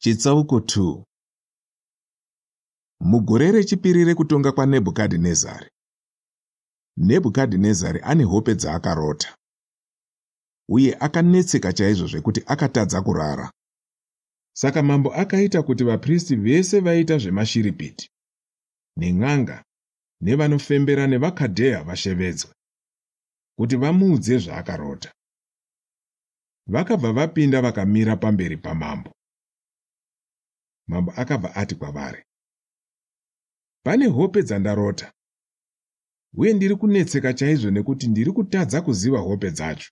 Chitsauko 2. Mugore rechipiri rekutonga kwaNebhukadhinezari, Nebhukadhinezari ane hope dzaakarota, uye akanetseka chaizvo zvekuti akatadza kurara. Saka mambo akaita kuti vapristi vese vaiita zvemashiripiti, nen'anga, nevanofembera nevaKadheya vashevedzwe, kuti vamuudze zvaakarota. Vakabva vapinda vakamira pamberi pamambo. Mambo akabva ati kwavari, Pane hope dzandarota, uye ndiri kunetseka chaizvo nekuti ndiri kutadza kuziva hope dzacho.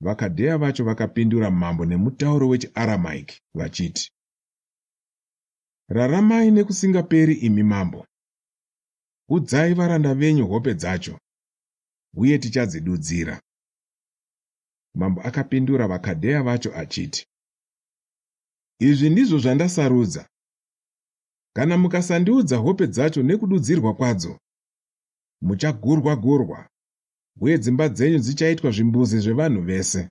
VaKadheya vacho vakapindura mambo nemutauro wechiAramaiki vachiti, Raramai nekusingaperi imi mambo. Udzai varanda venyu hope dzacho, uye tichadzidudzira. Mambo akapindura vaKadheya vacho achiti, Izvi ndizvo zvandasarudza. Kana mukasandiudza hope dzacho nekududzirwa kwadzo, muchagurwa-gurwa, uye dzimba dzenyu dzichaitwa zvimbuzi zvevanhu vese.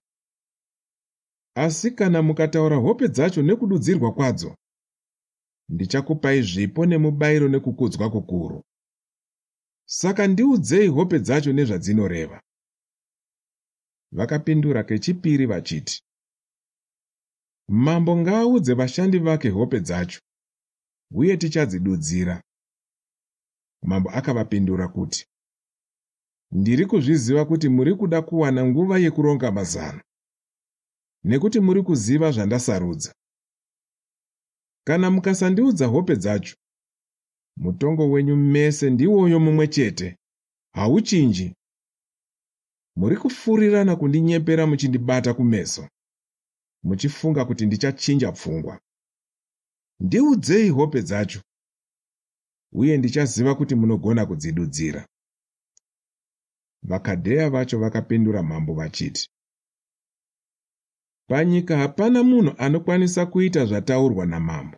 Asi kana mukataura hope dzacho nekududzirwa kwadzo, ndichakupai zvipo nemubayiro nekukudzwa kukuru. Saka ndiudzei hope dzacho nezvadzinoreva. Vakapindura kechipiri vachiti, Mambo ngaaudze vashandi vake hope dzacho, uye tichadzidudzira. Mambo akavapindura kuti, Ndiri kuzviziva kuti muri kuda kuwana nguva yekuronga mazano, nekuti muri kuziva zvandasarudza. Kana mukasandiudza hope dzacho, mutongo wenyu mese ndiwoyo mumwe chete, hauchinji. Muri kufurirana kundinyepera muchindibata kumeso, muchifunga kuti ndichachinja pfungwa. Ndiudzei hope dzacho, uye ndichaziva kuti munogona kudzidudzira. VaKadheya vacho vakapindura mambo vachiti, Panyika hapana munhu anokwanisa kuita zvataurwa namambo.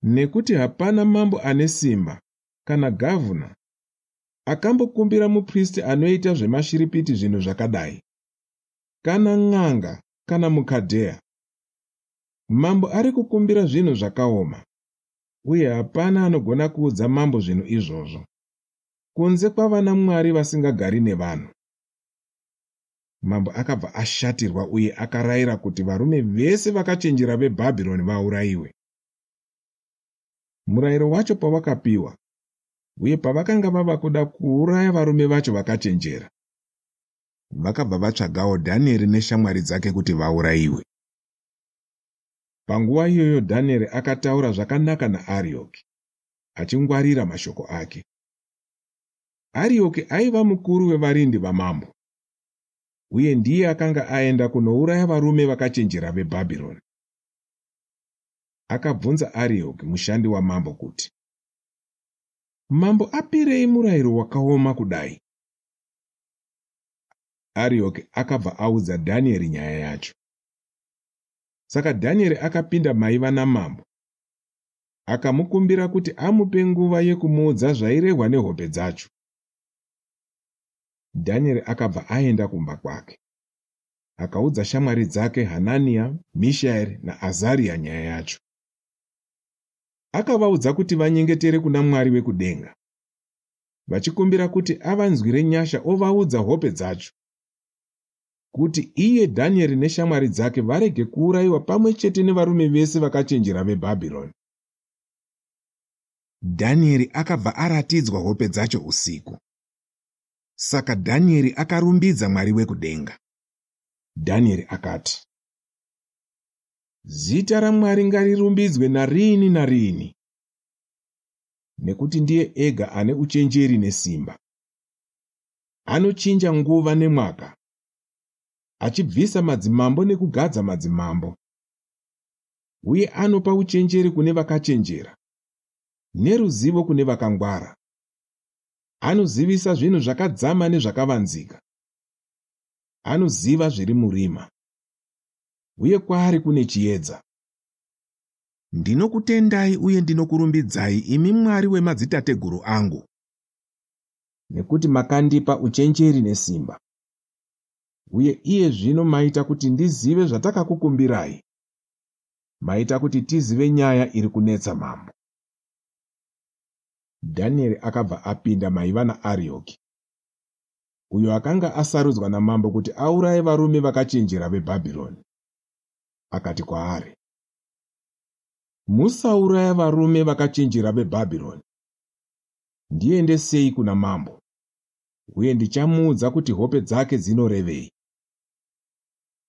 Nekuti hapana mambo ane simba kana gavhuna akambokumbira mupristi anoita zvemashiripiti zvinhu zvakadai, kana n'anga kana muKadheya. Mambo ari kukumbira zvinhu zvakaoma, uye hapana anogona kuudza mambo zvinhu izvozvo, kunze kwavanamwari vasingagari nevanhu. Mambo akabva ashatirwa uye akarayira kuti varume vese vakachenjera veBhabhironi vaurayiwe. Murayiro wacho pawakapiwa, uye pavakanga vava kuda kuuraya varume vacho vakachenjera, vakabva vatsvagawo Dhanieri neshamwari dzake kuti vaurayiwe. Panguva iyoyo Dhanieri akataura zvakanaka naArioki, achingwarira mashoko ake. Arioki aiva mukuru wevarindi vamambo, uye ndiye akanga aenda kunouraya varume vakachenjera veBhabhironi. Akabvunza Arioki mushandi wamambo kuti, Mambo apirei murayiro wakaoma kudai? Arioki akabva audza Dhanieri nyaya yacho. Saka Dhanieri akapinda maiva namambo, akamukumbira kuti amupe nguva yekumuudza zvairehwa nehope dzacho. Dhanieri akabva aenda kumba kwake. Akaudza shamwari dzake Hananiya, Mishaeri naAzariya nyaya yacho. Akavaudza kuti vanyengetere kuna Mwari wekudenga, vachikumbira kuti avanzwire nyasha ovaudza hope dzacho, kuti iye Dhanieri neshamwari dzake varege kuurayiwa pamwe chete nevarume vese vakachenjera veBhabhironi. Dhanieri akabva aratidzwa hope dzacho usiku. Saka Dhanieri akarumbidza Mwari wekudenga. Dhanieri akati, Zita raMwari ngarirumbidzwe nariini nariini, nekuti ndiye ega ane uchenjeri nesimba. Anochinja nguva nemwaka, achibvisa madzimambo nekugadza madzimambo, uye anopa uchenjeri kune vakachenjera neruzivo kune vakangwara. Anozivisa zvinhu zvakadzama nezvakavanzika. Anoziva zviri murima, uye kwaari kune chiedza. Ndinokutendai uye ndinokurumbidzai, imi Mwari wemadzitateguru angu. Nekuti makandipa uchenjeri nesimba. Uye iye zvino maita kuti ndizive zvatakakukumbirai. Maita kuti tizive nyaya iri kunetsa mambo. Dhanieri akabva apinda maiva naArioki, uyo akanga asarudzwa namambo kuti auraye varume vakachenjera veBhabhironi. Akati kwaari, Musauraya varume vakachenjera veBhabhironi. Ndiendesei kuna mambo, uye ndichamuudza kuti hope dzake dzinorevei.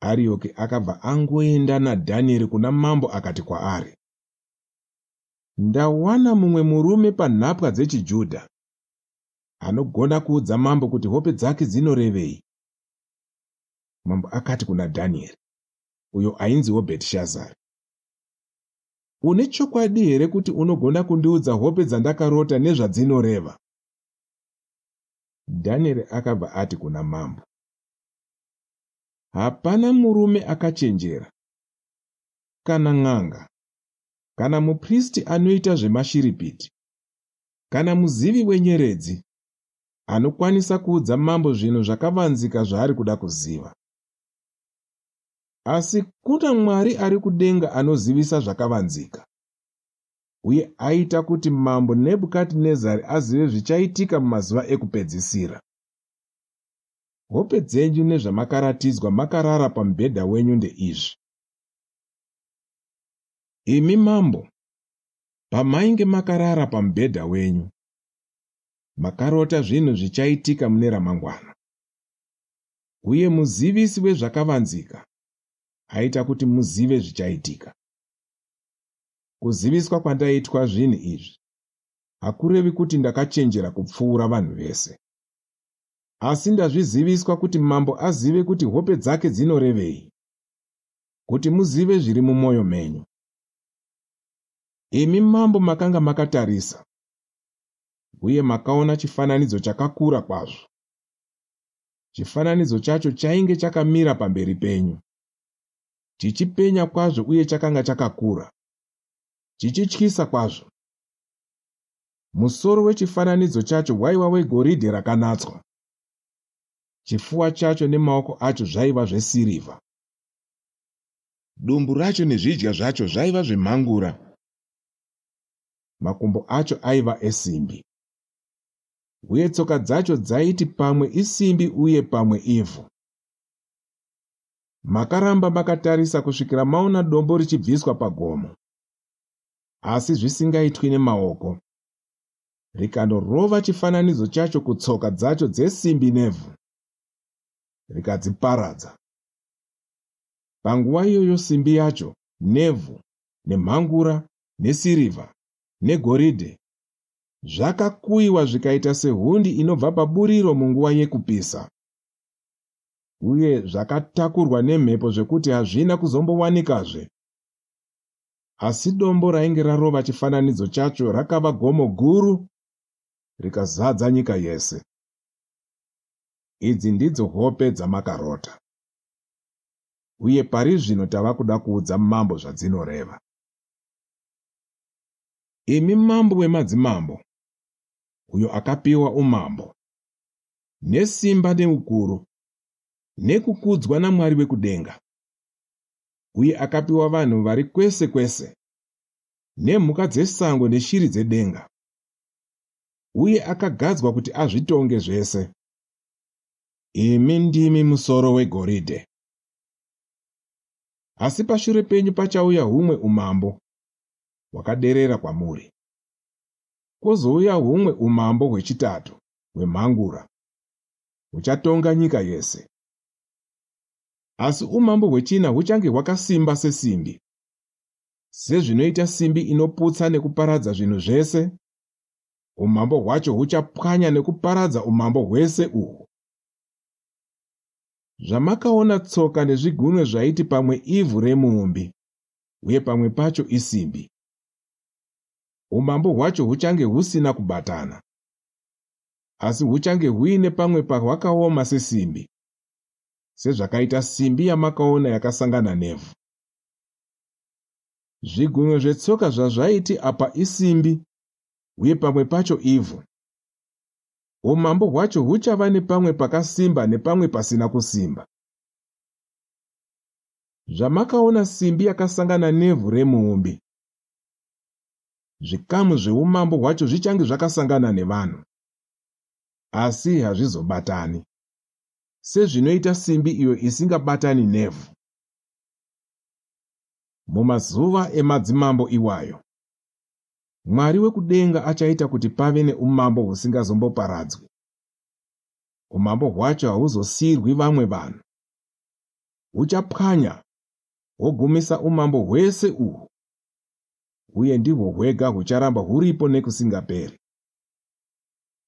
Arioki akabva angoenda naDhanieri kuna mambo akati kwaari, Ndawana mumwe murume panhapwa dzechiJudha anogona kuudza mambo kuti hope dzake dzinorevei. Mambo akati kuna Dhanieri, uyo ainziwo Bhetishazari, Une chokwadi here kuti unogona kundiudza hope dzandakarota nezvadzinoreva? Dhanieri akabva ati kuna mambo, Hapana murume akachenjera, kana n'anga, kana mupristi anoita zvemashiripiti, kana muzivi wenyeredzi anokwanisa kuudza mambo zvinhu zvakavanzika zvaari kuda kuziva. Asi kuna Mwari ari kudenga anozivisa zvakavanzika, uye aita kuti Mambo Nebhukadhinezari azive zvichaitika mumazuva ekupedzisira. Hope dzenyu nezvamakaratidzwa makarara pamubhedha wenyu ndeizvi. Imi mambo, pamainge makarara pamubhedha wenyu, makarota zvinhu zvichaitika mune ramangwana. Uye muzivisi wezvakavanzika aita kuti muzive zvichaitika. Kuziviswa kwandaitwa zvinhu izvi hakurevi kuti ndakachenjera kupfuura vanhu vese. Asi ndazviziviswa kuti mambo azive kuti hope dzake dzinorevei, kuti muzive zviri mumwoyo menyu. Imi mambo makanga makatarisa, uye makaona chifananidzo chakakura kwazvo. Chifananidzo chacho chainge chakamira pamberi penyu, chichipenya kwazvo uye chakanga chakakura, chichityisa kwazvo. Musoro wechifananidzo chacho waiva wegoridhe rakanatswa. Chifuva chacho nemaoko acho zvaiva zvesirivha. Dumbu racho nezvidya zvacho zvaiva zvemhangura. Makumbo acho aiva esimbi. Uye tsoka dzacho dzaiti pamwe isimbi uye pamwe ivhu. Makaramba makatarisa kusvikira maona dombo richibviswa pagomo, asi zvisingaitwi nemaoko, rikandorova chifananidzo chacho kutsoka dzacho dzesimbi nevhu, rikadziparadza. Panguva iyoyo simbi yacho, nevhu, nemhangura, nesirivha, negoridhe zvakakuyiwa zvikaita sehundi inobva paburiro munguva yekupisa, uye zvakatakurwa nemhepo zvekuti hazvina kuzombowanikazve. Asi dombo rainge rarova chifananidzo chacho rakava gomo guru rikazadza nyika yese. Idzi ndidzo hope dzamakarota. Uye pari zvino tava kuda kuudza mambo zvadzinoreva. Imi mambo wemadzimambo, uyo akapiwa umambo, nesimba neukuru, nekukudzwa naMwari wekudenga, uye akapiwa vanhu vari kwese kwese, nemhuka dzesango neshiri dzedenga, uye akagadzwa kuti azvitonge zvese. Imi ndimi musoro wegoridhe. Asi pashure penyu pachauya humwe umambo hwakaderera kwamuri. Kwozouya humwe umambo hwechitatu hwemhangura huchatonga nyika yese. Asi umambo hwechina huchange hwakasimba sesimbi. Sezvinoita simbi inoputsa nekuparadza zvinhu zvese, umambo hwacho huchapwanya nekuparadza umambo hwese uhwu. Zvamakaona tsoka nezvigunwe zvaiti pamwe ivhu remuumbi uye pamwe pacho isimbi. Umambo hwacho huchange husina kubatana, asi huchange huine pamwe pahwakaoma sesimbi, sezvakaita simbi yamakaona yakasangana nevhu. Zvigunwe zvetsoka zvazvaiti apa isimbi uye pamwe pacho ivhu. Umambo hwacho huchava nepamwe pakasimba nepamwe pasina kusimba. Zvamakaona simbi yakasangana nevhu remuumbi, zvikamu zveumambo hwacho zvichange zvakasangana nevanhu, asi hazvizobatani, sezvinoita simbi iyo isingabatani nevhu. Mumazuva emadzimambo iwayo, Mwari wekudenga achaita kuti pave neumambo husingazomboparadzwi. Umambo hwacho hahuzosiyirwi vamwe vanhu. Huchapwanya hwogumisa umambo hwese uhwu, uye ndihwo hwega hucharamba huripo nekusingaperi.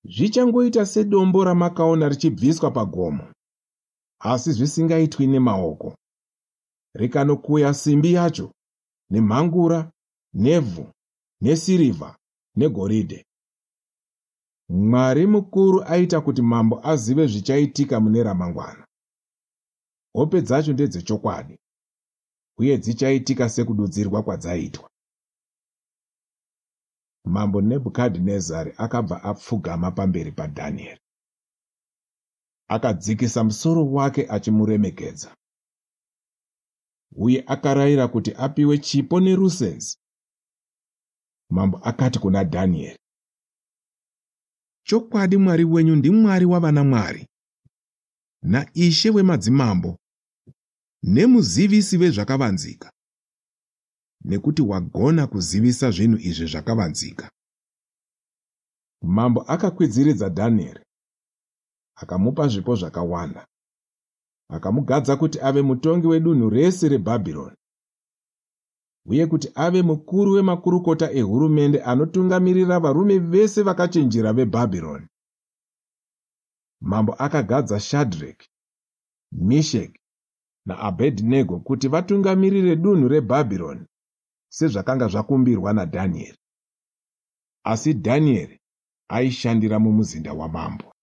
Zvichangoita sedombo ramakaona richibviswa pagomo, asi zvisingaitwi nemaoko, rikanokuya simbi yacho nemhangura nevhu nesirivha negoridhe. Mwari mukuru aita kuti mambo azive zvichaitika mune ramangwana. Hope dzacho ndedzechokwadi, uye dzichaitika sekududzirwa kwadzaitwa. Mambo Nebhukadhinezari akabva apfugama pamberi paDhanieri. Akadzikisa musoro wake achimuremekedza, uye akarayira kuti apiwe chipo nerusenzi. Mambo akati kuna Dhanieri, Chokwadi Mwari wenyu ndiMwari wavanamwari, naIshe wemadzimambo, nemuzivisi wezvakavanzika, nekuti wagona kuzivisa zvinhu izvi zvakavanzika. Mambo akakwidziridza Dhanieri, akamupa zvipo zvakawanda, akamugadza kuti ave mutongi wedunhu rese reBhabhironi, uye kuti ave mukuru wemakurukota ehurumende anotungamirira varume vese vakachenjera veBhabhironi. Mambo akagadza Shadreki, Misheki naAbhedhinego kuti vatungamirire dunhu reBhabhironi sezvakanga zvakumbirwa naDhanieri. Asi Dhanieri aishandira mumuzinda wamambo.